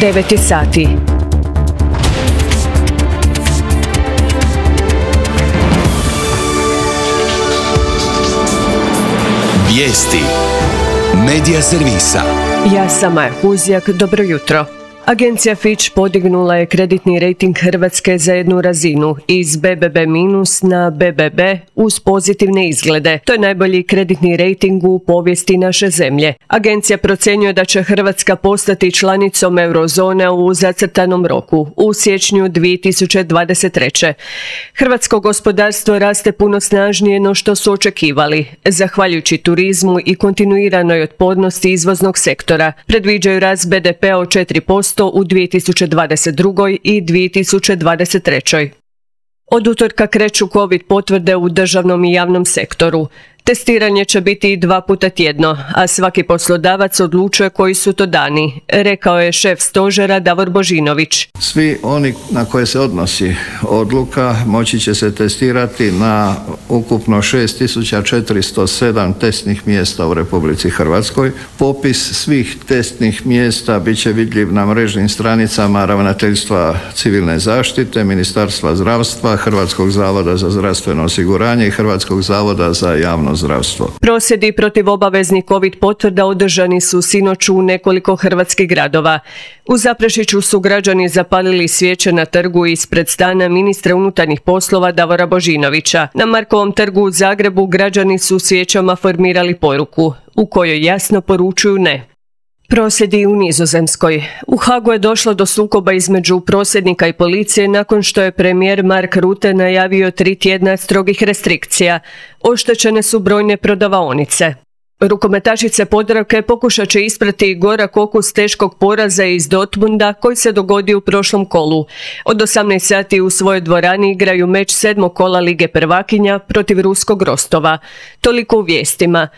9 sati. Vijesti Medija servisa. Ja sam Maja Huzjak, dobro jutro. Agencija Fitch podignula je kreditni rejting Hrvatske za jednu razinu iz BBB- na BBB uz pozitivne izglede. To je najbolji kreditni rejting u povijesti naše zemlje. Agencija procjenjuje da će Hrvatska postati članicom eurozone u zacrtanom roku, u siječnju 2023. Hrvatsko gospodarstvo raste puno snažnije no što su očekivali, zahvaljujući turizmu i kontinuiranoj otpornosti izvoznog sektora. Predviđaju rast BDP-a od 4% u 2022. i 2023. Od utorka kreću COVID potvrde u državnom i javnom sektoru. Testiranje će biti 2 puta tjedno, a svaki poslodavac odlučuje koji su to dani, rekao je šef stožera Davor Božinović. Svi oni na koje se odnosi odluka moći će se testirati na ukupno 6407 testnih mjesta u Republici Hrvatskoj. Popis svih testnih mjesta bit će vidljiv na mrežnim stranicama Ravnateljstva civilne zaštite, Ministarstva zdravstva, Hrvatskog zavoda za zdravstveno osiguranje i Hrvatskog zavoda za javno zdravstvo. Prosvjedi protiv obaveznih COVID potvrda održani su sinoć u nekoliko hrvatskih gradova. U Zaprešiću su građani zapalili svijeće na trgu ispred stana ministra unutarnjih poslova Davora Božinovića. Na Markovom trgu u Zagrebu građani su svijećama formirali poruku u kojoj jasno poručuju ne. Prosvjedi u Nizozemskoj. U Hagu je došlo do sukoba između prosvjednika i policije nakon što je premijer Mark Rutte najavio 3 tjedna strogih restrikcija. Oštećene su brojne prodavaonice. Rukometašice Podravke pokušat će isprati gorak okus teškog poraza iz Dortmunda koji se dogodio u prošlom kolu. Od 18 sati u svojoj dvorani igraju meč 7. kola Lige prvakinja protiv ruskog Rostova. Toliko u vijestima.